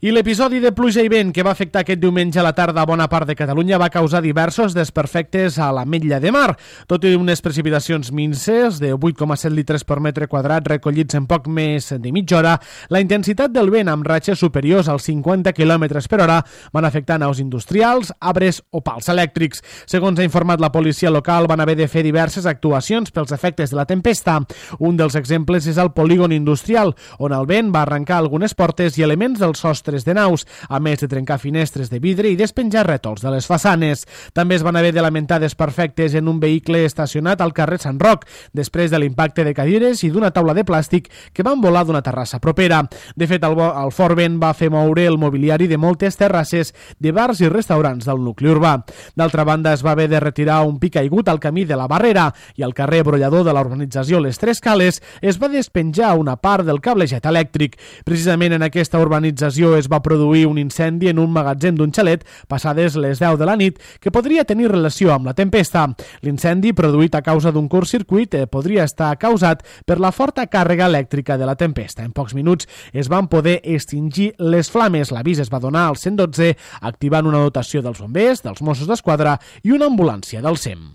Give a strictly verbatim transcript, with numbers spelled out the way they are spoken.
I l'episodi de pluja i vent que va afectar aquest diumenge a la tarda a bona part de Catalunya va causar diversos desperfectes a l'Ametlla de Mar. Tot i unes precipitacions minses de vuit coma set litres per metre quadrat recollits en poc més de mitja hora, la intensitat del vent amb ratxes superiors als cinquanta quilòmetres per hora van afectar naus industrials, arbres o pals elèctrics. Segons ha informat la policia local, van haver de fer diverses actuacions pels efectes de la tempesta. Un dels exemples és el polígon industrial, on el vent va arrencar algunes portes i elements del sostre de naus, a més de trencar finestres de vidre i despenjar rètols de les façanes. També es van haver de lamentar desperfectes en un vehicle estacionat al carrer Sant Roc, després de l'impacte de cadires i d'una taula de plàstic que van volar d'una terrassa propera. De fet, el, el fort vent va fer moure el mobiliari de moltes terrasses de bars i restaurants del nucli urbà. D'altra banda, es va haver de retirar un pic caigut al camí de la Barrera i al carrer brollador de la urbanització Les Tres Cales es va despenjar una part del cablejat elèctric. Precisament en aquesta urbanització es va produir un incendi en un magatzem d'un xalet passades les deu de la nit que podria tenir relació amb la tempesta. L'incendi, produït a causa d'un curtcircuit, podria estar causat per la forta càrrega elèctrica de la tempesta. En pocs minuts es van poder extingir les flames. L'avís es va donar al cent dotze, activant una dotació dels bombers, dels Mossos d'Esquadra i una ambulància del SEM.